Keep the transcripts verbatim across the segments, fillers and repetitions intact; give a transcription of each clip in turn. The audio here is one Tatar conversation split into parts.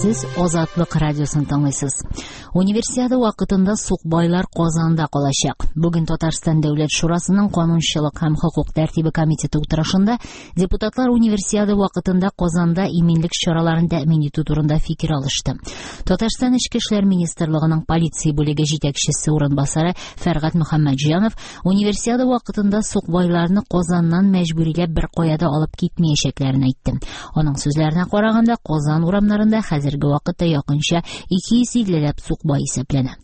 Сез Азатлык радиосын тыңлыйсыз. Универсиада вакытында сукбайлар Казанда калачак. Бүген Татарстан Дәүләт Шурасының канунчылык һәм хокук тәртибе комитеты утырышында депутатлар Универсиада вакытында Казанда иминлек чараларын тәэмин итү турында фикер алышты. Татарстан Эчке эшләр министрлыгының полиция бүлеге җитәкчесе урынбасары Фәргать Мөхәммәтҗанов Универсиада вакытында сукбайларны Казаннан мәҗбүриләп бер кая да алып китмәячәкләрен әйтте. Аның сүзләренә караганда, Казан урамнарында хәзерге вакытта якынча ике йөз иллеләп сукбай исәпләнә.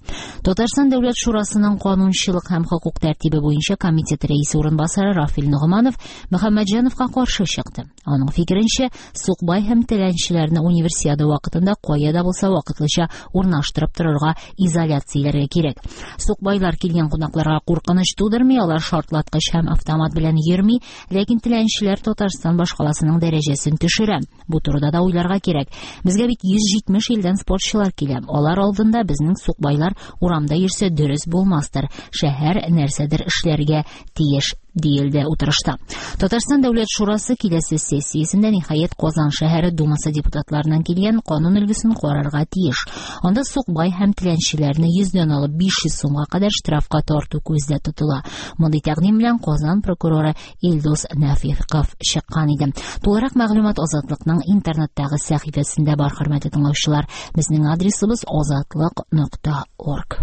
Татарстан Дәүләт Шурасының канунчылык һәм хокук тәртибе буенча комитет рәисе урынбасары Рафил Ногманов Мөхәммәтҗановка каршы чыкты. Аның фикеренчә, сукбай һәм теләнчеләрне универсиада вакытында кая да булса вакытлыча урнаштырып торырга, изоляцияләргә кирәк. Сукбайлар килгән кунакларга куркыныч тудырмый, алар шартлаткыч һәм автомат белән йөрми, ләкин теләнчеләр Татарстан башкаласының дәрәҗәсен төшерә. Бу турыда да уйларга кирәк. Безгә бит йөз җитмеш илдән спортчылар килә. Алар алдында безнең сукбайлар урамда йөрсә дөрес булмастыр. Шәһәр нәрсәдер эшләргә тиеш, диелде утырышта. Татарстан Дәүләт Шурасы киләсе сессиясендә ниһаять Казан шәһәре Думасы депутатларыннан килгән канун өлгесен карарга тиеш. Анда сукбай һәм теләнчеләрне йөздән алып биш йөз сумга кадәр штрафка тарту күздә тотыла. Мондый тәкъдим белән Казан прокуроры Илдус Нәфиков чыккан иде. Тулырак мәгълүмат Азатлыкның интернеттагы сәхифәсендә бар, хөрмәтле тыңлаучылар. Безнең адресыбыз азатлык нокта орг.